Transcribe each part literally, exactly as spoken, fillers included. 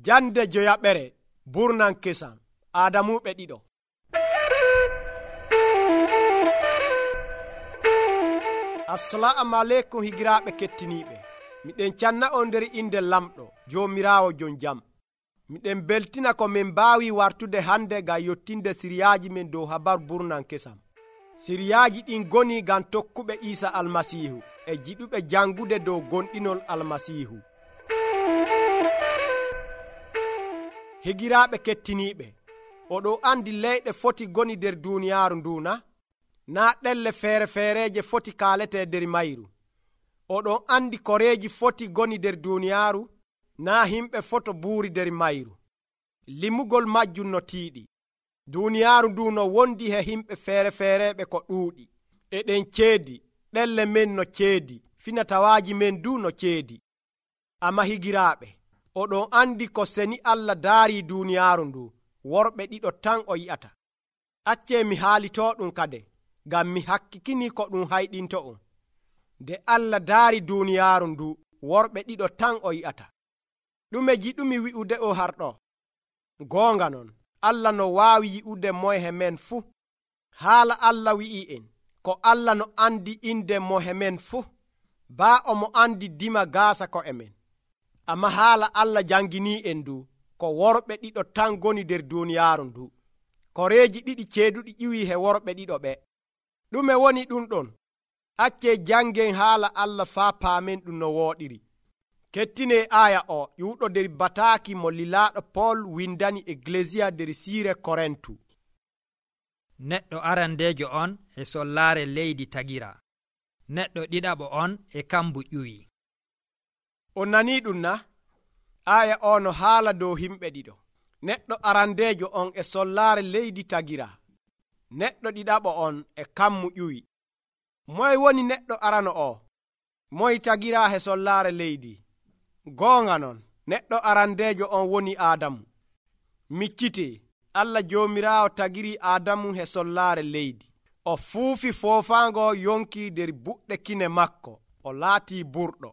Jande joyaɓere burnan kesam Adamuɓe ɗiɗo. Assalamu alaikum higiraɓe kettiniɓe. Miɗen canna on nder inde lamɗo Jomirawo jon jam. Miɗen beltina ko min mbawi wartude hande ga yottinde siryaji men dow habar burnan kesam. Siryaji ɗin goni gam tokkuɓe Isa almasihu e jiɗuɓe jangude dow gonɗinol almasihu. Higiraɓe kettiniɓe, oɗo andi leyɗe foti goni nder duniyaru nduna, na ɗelle feere feereje foti kalete nder mayru. Oɗon andi koreji foti goni nder duniyaru, na himɓe foto buuri nder mayru. Limugol majjum no tiiɗi. Duniyaru ndu no wondi he himɓe feere feereɓe ko ɗuuɗi. Eɗen ceedi, ɗelle men no ceedi, finatawaji men du no ceedi. Amma higiraɓe, oɗon andi ko seni Allah daari duniyaru ndu, worɓe ɗiɗo tan o yi'ata. Acce mi haalito ɗum kade, ngam mi hakkikini ko ɗum hayɗinto on. Nde Allah daari duniyaru ndu, worɓe ɗiɗo tan o yi'ata. Ɗume jiɗumi wi'ude o harɗo? Goonga non, Allah no waawi yi'ude moye men fuu. Haala Allah wi'i en, ko Allah no andi inde moye men fuu, baa omo andi dima gaasa ko emen. Amma haala Allah jangini en du, ko worɓe ɗiɗo tan goni nder duniyaaru ndu. Koreeji ɗiɗi ceeduɗi ƴiwi he worɓe ɗiɗo ɓe. Ɗume woni ɗum ɗon? Acce jangen haala Allah faa paamen ɗum no wooɗiri. Kettine aya o ƴuuɗo nder bataaki mo lilaaɗo Pol windani Ecclesia nder siire Korintu. Neɗɗo arandeejo on e sollaare leydi tagira. Neɗɗo ɗiɗaɓo on e kambu ƴuwi. On nani ɗum na? Aya o no haala dow himɓe ɗiɗo. Neɗɗo arandeejo on e sollaare leydi tagira. Neɗɗo ɗiɗaɓo on e kammu ƴuwi. Moye woni neɗɗo arano o? Moye tagira he sollaare leydi? Goonga non, neɗɗo arandeejo on woni Adamu. Miccite, Allah Jomirawo tagiri Adamu he sollaare leydi. O fuufi foofaango yonki nder buɗɗe kine makko, o laatii burɗo.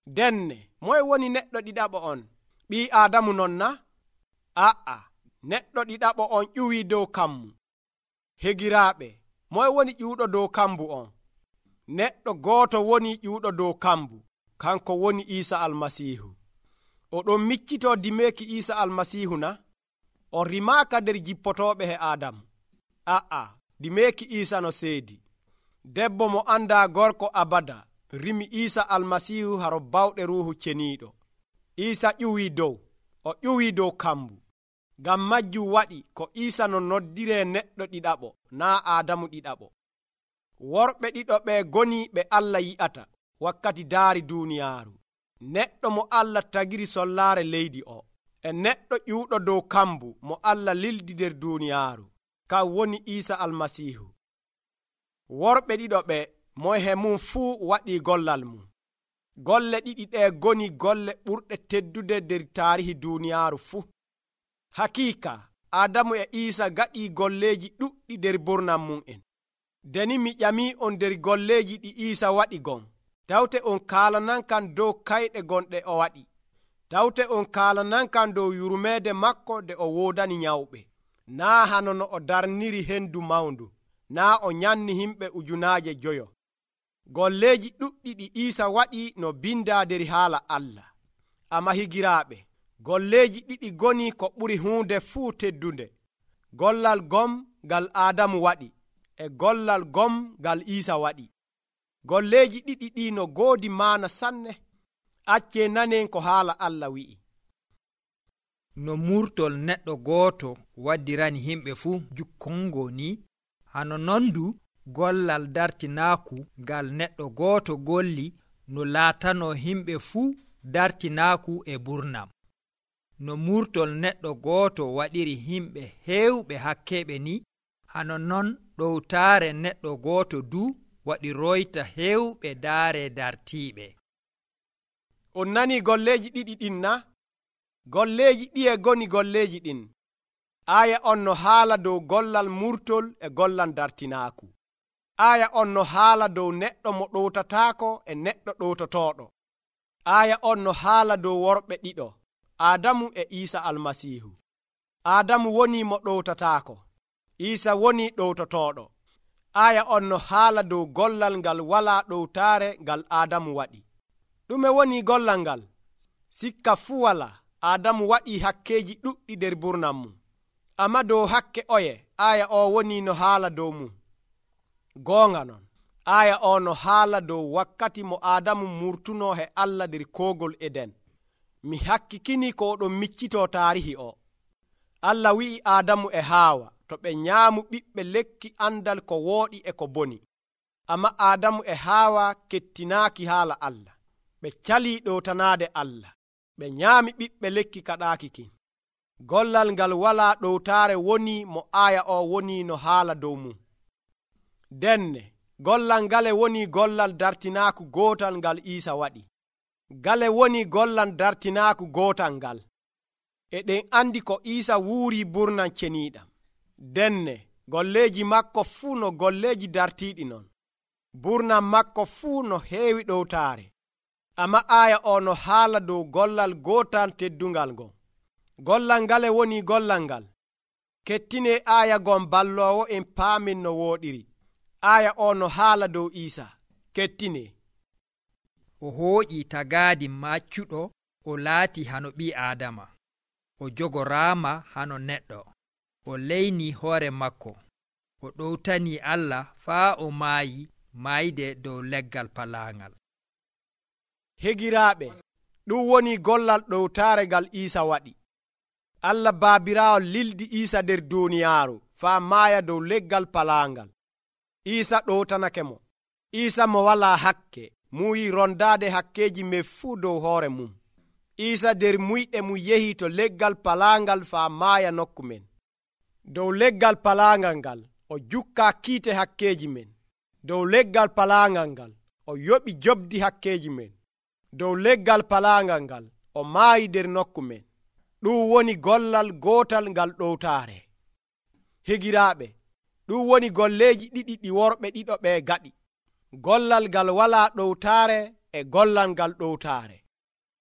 Denne, moye woni neɗɗo ɗiɗaɓo on? Ɓii Adamu non na? A'a, neɗɗo ɗiɗaɓo on ƴuwi dow kammu. Hegiraaɓe, moye woni ƴuuɗo dow kambu on? Neɗɗo gooto woni ƴuuɗo dow kambu, kanko woni Isa almasihu. Oɗon miccito dimeeki Isa almasihu na? O rimaaka nder jippotoɓe he Adamu. A'a, dimeeki Isa no seedi. Debbo mo anda gorko abada rimi Isa almasihu haro bawɗe ruuhu ceniiɗo. Isa ƴuwi dow, o ƴuwi dow kambu. Ngam majjum waɗi ko Isa no noddire neɗɗo ɗiɗaɓo, naa Adamu ɗiɗaɓo. Worɓe ɗiɗo ɓe goni ɓe Allah yi'ata wakkati daari duniyaaru. Neɗɗo mo Allah tagiri sollaare leydi o, e neɗɗo ƴuuɗo dow kambu mo Allah lildi nder duniyaaru, kan woni Isa almasihu. Worɓe ɗiɗo ɓe moye he mum fuu waɗi gollal mum. Golle ɗiɗi ɗe goni golle ɓurɗe teddude nder taarihi duniyaaru fuu. Hakiika, Adamu e Isa gaɗi golleji ɗuɗɗi nder burnan mum en. Deni mi ƴami on nder golleji ɗi Isa waɗi gon. Tawte on kaalanan kan dow kayɗe gonɗe o waɗi. Tawte on kaalanan kan dow yurmeede makko de o woodani nyawɓe. Naa hano no o darniri hendu mawndu. Naa o nyanni himɓe ujunaaje joyo. Golleji ɗuɗɗi ɗi Isa waɗi no binda nder haala Allah. Amma higiraaɓe, golleji ɗiɗi goni ko ɓuri huunde fuu teddunde. Gollal gom ngal Adamu waɗi, e gollal gom ngal Isa waɗi. Golleji ɗiɗi ɗi no goodi maana sanne. Acce nanen ko haala Allah wi'i. No murtol neɗɗo gooto waddirani himɓe fuu jukkongo ni, hano nondu gollal dartinaaku ngal neɗɗo gooto golli no laatano himɓe fuu dartinaaku e burnam. No murtol neɗɗo gooto waɗiri himɓe heewɓe hakkeɓe ni, hano non ɗowtaare neɗɗo gooto du waɗi royta heewɓe daare dartiiɓe. On nani golleji ɗiɗi ɗin na? Golleji ɗiye goni golleji ɗin. Aya on no haala dow gollal murtol e gollal dartinaaku. Aya on no haala dow neɗɗo mo ɗowtataako e neɗɗo ɗowtotoɗo. Aya on no haala dow worɓe ɗiɗo, Aadamu e Iisa almasiihu. Aadamu woni mo ɗowtataako, Iisa woni ɗowtotooɗo. Aya on no haala dow gollal ngal walaa ɗowtaare ngal Aadamu waɗi. Ɗume woni gollal ngal? Sikka fuu walaa. Aadamu waɗii hakkeeji ɗuɗɗi nder burnam mum. Amma dow hakke oye, aya o woni no haala dow mum. Goonga non, aya o no haala dow wakkati mo Aadamu murtunoo he Allah nder koogol Eden. Mi hakkikini ko oɗon miccitoo taarihi o. Allah wi'i Aadamu e Haawa to ɓe nyaamu ɓiɓɓe lekki andal ko wooɗi e ko boni. Amma Aadamu e Haawa kettinaaki haala Allah. Ɓe calii ɗowtanaade Allah. Ɓe nyaami ɓiɓɓe lekki kaɗaaki kin. Gollal ngal walaa ɗowtaare woni mo aya o woni no haala dow mum. Denne, gollal ngale woni gollal dartinaaku gootal ngal Iisa waɗi. Ngale woni gollal dartinaaku gootal ngal. Eɗen andi ko Iisa wuurii burnan ceniiɗam. Denne, golleeji makko fuu no golleeji dartiiɗi non. Burnan makko fuu no heewi ɗowtaare. Amma aya o no haala dow gollal gootal teddungal ngon. Gollal ngale woni gollal ngal. Kettine aya gon balloowo en paamin no wooɗiri. Aya o no haala dow Iisa. Kettine. O hooƴi tagaadi maccuɗo, o laati hano ɓii Aadama. O jogoraama hano neɗɗo. O leyni hoore makko. O ɗowtani Allah faa o maayi maayde dow leggal palaangal. Hegiraaɓe, ɗum woni gollal ɗowtaare ngal Iisa waɗi. Allah Baabiraawo lildi Iisa nder duuniyaaru faa maaya dow leggal palaangal. Iisa ɗowtanake mo. Iisa mo walaa hakke muyi rondaade hakkeeji men fuu dow hoore mum. Iisa nder muyɗe mum yehi to leggal palaangal faa maaya nokku men. Dow leggal palaangal ngal o jukkaa kiite hakkeeji men. Dow leggal palaangal ngal o yoɓi jobdi hakkeeji men. Dow leggal palaangal ngal o maayi nder nokku men. Ɗum woni gollal gootal ngal ɗowtaare. Higiraaɓe, ɗum woni golleeji ɗiɗi ɗi worɓe ɗiɗo ɓe gaɗi. Gollal ngal walaa ɗowtaare e gollal ngal ɗowtaare.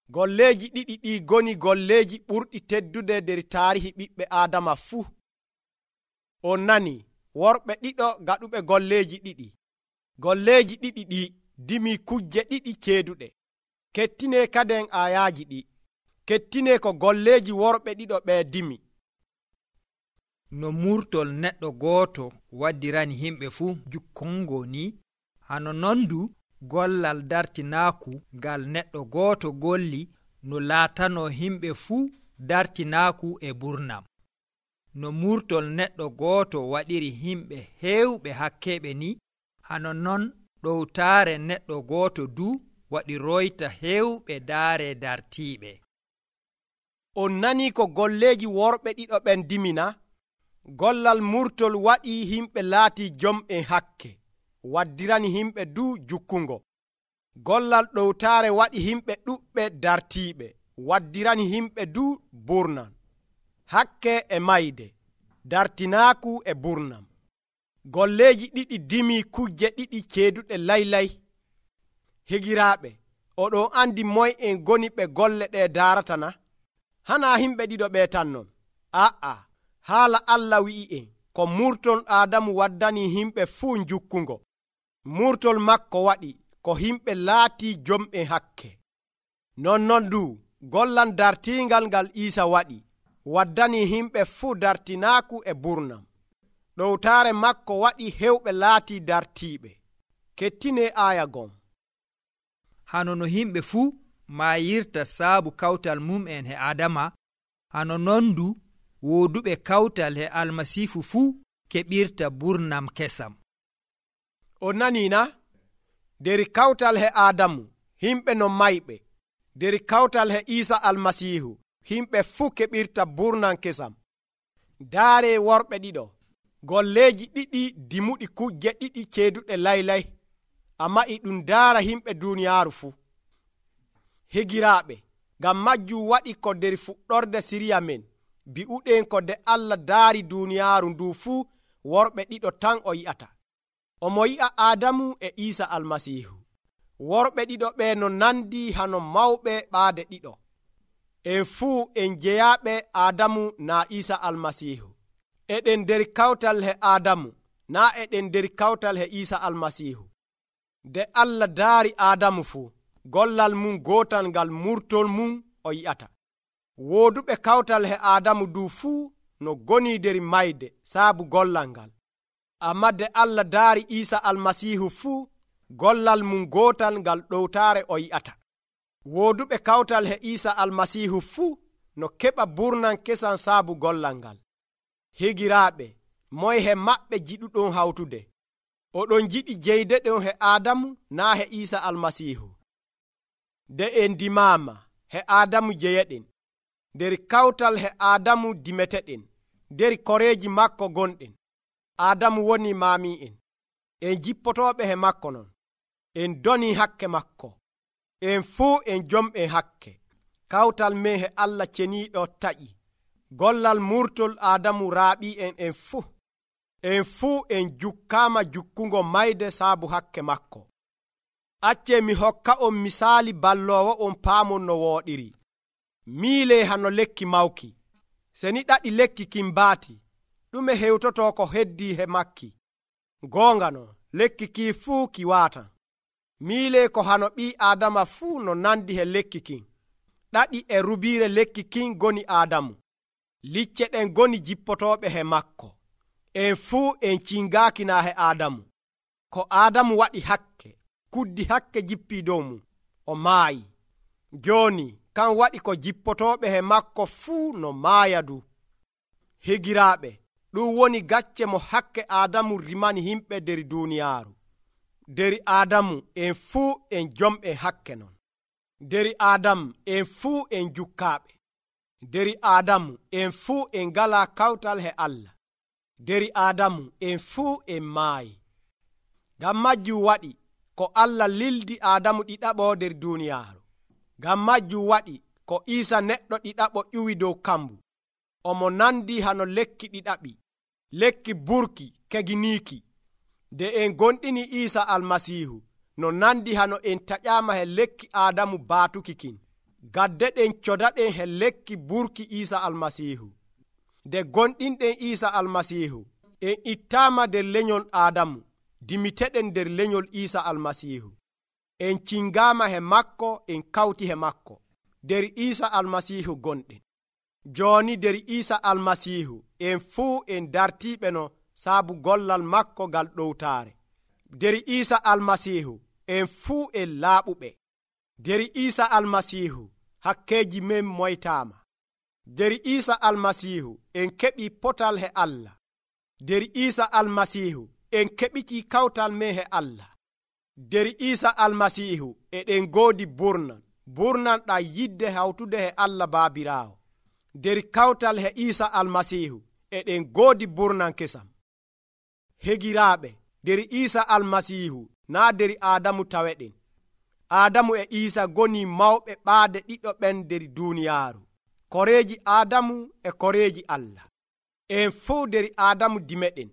Golleeji ɗiɗi ɗi goni golleeji ɓurɗi teddude nder taarihi ɓiɓɓe Aadama fuu. On nani, worɓe ɗiɗo gaɗuɓe golleeji ɗiɗi. Golleeji ɗiɗi ɗi dimi kujje ɗiɗi ceeduɗe. Kettine kaden ayaaji ɗi. Kettine ko golleeji worɓe ɗiɗo ɓe dimi. No murtol neɗɗo gooto waddirani himɓe fuu jukkongo ni, hano nondu gollal dartinaaku ngal neɗɗo gooto golli no laatano himɓe fuu dartinaaku e burnam. No murtol neɗɗo gooto waɗiri himɓe heewɓe hakkeɓe ni, hano non ɗowtaare neɗɗo gooto du waɗi royta heewɓe daare dartiiɓe. On nani ko golleeji worɓe ɗiɗo ɓen dimina? Gollal murtol waɗi himɓe laati jom'en hakke, waddirani himɓe du jukkungo. Gollal ɗowtaare waɗi himɓe ɗuɓɓe dartiiɓe, waddirani himɓe du burnan. Hakke e mayde, dartinaaku e burnam. Golleeji ɗiɗi dimi kujje ɗiɗi ceeduɗe laylay. Higiraaɓe, oɗon andi moy en goni ɓe golle ɗe daarata na? Hana himɓe ɗiɗo ɓe tan non. Aa, haala Allah wi'i en ko murtol Aadamu waddani himɓe fuu jukkungo. Murtol makko waɗi ko himɓe laati jom'en hakke. Nonnon du gollal dartiingal ngal Iisa waɗi waddani himɓe fuu dartinaaku e burnam. Ɗowtaare makko waɗi hewɓe laati dartiiɓe. Kettine aya gom. Hano no himɓe fuu maayirta saabu kawtal mum'en he Adama, hano nondu wooduɓe kawtal he Almasiihu fuu keɓirta burnam kesam. On nani na? Der kawtal he Adamu himɓe no mayɓe. Der kawtal he Iisa Almasiihu himɓe fuu keɓirta burnam kesam. Daare worɓe ɗiɗo, golleeji ɗiɗi dimuɗi kujje ɗiɗi ceeduɗe laylay, amma e ɗum daara himɓe duuniyaaru fuu. Higiraaɓe, ngam majjum waɗi ko nder fuɗɗorde siriya men bi'uɗen ko de Allah daari duuniyaaru ndu fuu worɓe ɗiɗo tan o yi'ata. Omo yi'a Aadamu e Iisa Almasiihu. Worɓe ɗiɗo ɓe no nandi hano mawɓe ɓaade ɗiɗo. en fuu en jeyaaɓe Aadamu naa Iisa almasiihu. Eɗen nder kawtal he Aadamu naa eɗen nder kawtal he Iisa almasiihu. Nde Allah daari Aadamu fuu, gollal mum gootal ngal murtol mum o yi'ata. Wooduɓe kawtal he Aadamu du fuu no goni nder mayde saabu gollal ngal. Amma nde Allah daari Iisa almasiihu fuu, gollal mum gootal ngal ɗowtaare o yi'ata. Wooduɓe kawtal he Iisa almasiihu fuu no keɓa burnan kesan saabu gollal ngal. Higiraaɓe, moye he maɓɓe jiɗuɗon hawtude? Oɗon jiɗi jeyde ɗon he Aadamu naa he Iisa almasiihu? Nde en dimaama, he Aadamu jeyeɗen. Nder kawtal he Aadamu dimeteɗen, nder koreeji makko gonɗen. Aadamu woni maami'en. En jippotooɓe he makko non. En donii hakke makko. En fuu en jom'en hakke. Kawtal men he Allah ceniiɗo taƴi. Gollal murtol Aadamu raaɓii en en fuu. En fuu en jukkaama jukkungo mayde saabu hakke makko. Accee mi hokka on misaali balloowo on paamon no wooɗiri. Miilee hano lekki mawki. Seni ɗaɗi lekki kin baati, ɗume hewtotoo ko heddii he makki? Goonga non, lekki kii fuu ki waatan. Miilee ko hano ɓii Aadama fuu no nandi he lekki kin. Ɗaɗi e rubiire lekki kin goni Aadamu. Licce ɗen goni jippotooɓe he makko. En fuu en cingaaki naa he Aadamu. Ko Aadamu waɗi hakke, kuddi hakke jippii dow mum, o maayi. Jooni kan waɗi ko jippotooɓe he makko fuu no maaya du. Higiraaɓe, ɗum woni gacce mo hakke Aadamu rimani himɓe nder duuniyaaru. Nder Aadamu en fuu en jom'en hakke non. Nder Aadamu en fuu en jukkaaɓe. Nder Aadamu en fuu en ngalaa kawtal he Allah. Nder Aadamu en fuu en maayi. Ngam majjum waɗi ko Allah lildi Aadamu ɗiɗaɓo nder duuniyaaru. Ngam majjum waɗi ko Iisa neɗɗo ɗiɗaɓo ƴuwi dow kambu. Omo nandi hano lekki ɗiɗaɓi, lekki burki keginiiki. Nde en gonɗini Iisa almasiihu no nandi hano en taƴaama he lekki Aadamu baatuki kin. Gadde ɗen codaɗen he lekki burki Iisa almasiihu. Nde gonɗinɗen Iisa almasiihu, en ittaama nder lenyol Aadamu, dimiteɗen nder lenyol Iisa almasiihu. En cingaama he makko, en kawti he makko. Nder Iisa almasiihu gonɗen. Jooni nder Iisa almasiihu en fuu en dartiiɓe no saabu gollal makko ngal ɗowtaare. Nder Iisa almasiihu en fuu en laaɓuɓe. Nder Iisa almasiihu hakkeeji men moytaama. Nder Iisa almasiihu en keɓii potal he Allah. Nder Iisa almasiihu en keɓitii kawtal men he Allah. Nder Iisa almasiihu eɗen ngoodi burnan, burnan ɗam yidde hawtude he Allah Baabiraawo. Nder kawtal he Iisa almasiihu eɗen ngoodi burnan kesam. Hegiraaɓe, nder Iisa almasiihu naa nder Aadamu taweɗen. Aadamu e Iisa goni mawɓe ɓaade ɗiɗo ɓen nder duuniyaaru. Koreeji Aadamu e koreeji Allah. En fuu nder Aadamu dimeɗen.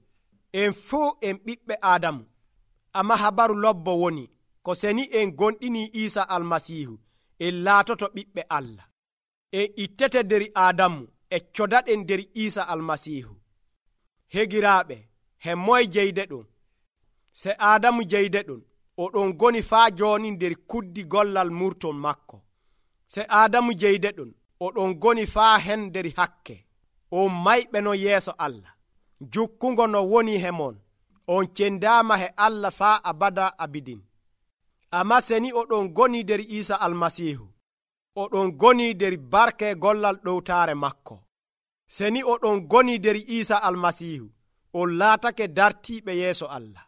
En fuu en ɓiɓɓe Aadamu. Amma habaru lobbo woni ko seni en gonɗini Iisa almasiihu en laatoto ɓiɓɓe Allah. En ittete nder Aadamu e codaɗen nder Iisa almasiihu. Hegiraaɓe, he moye jeyde ɗum? Se Aadamu jeyde ɗum, oɗon goni faa jooni nder kuddi gollal murtol makko. Se Aadamu jeyde ɗum, oɗon goni faa hen nder hakke. On mayɓe no yeeso Allah. Jukkungo no woni he mon. On cendaama he Allah faa abada abidin. Amma seni oɗon goni nder Iisa almasiihu, oɗon goni nder barke gollal ɗowtaare makko. Seni oɗon goni nder Iisa almasiihu, on laatake dartiiɓe yeeso Allah.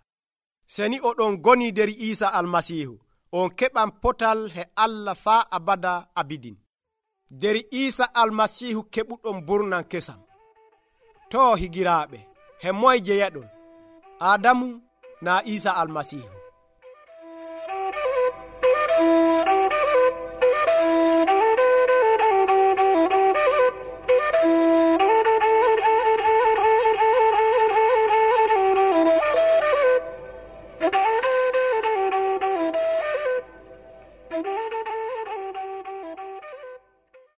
Seni oɗon goni nder Iisa almasiihu, on keɓan potal he Allah faa abada abidin. Nder Iisa almasiihu keɓuɗon burnan kesam. To higiraaɓe, he moye jeyaɗon? Aadamu naa Iisa almasiihu?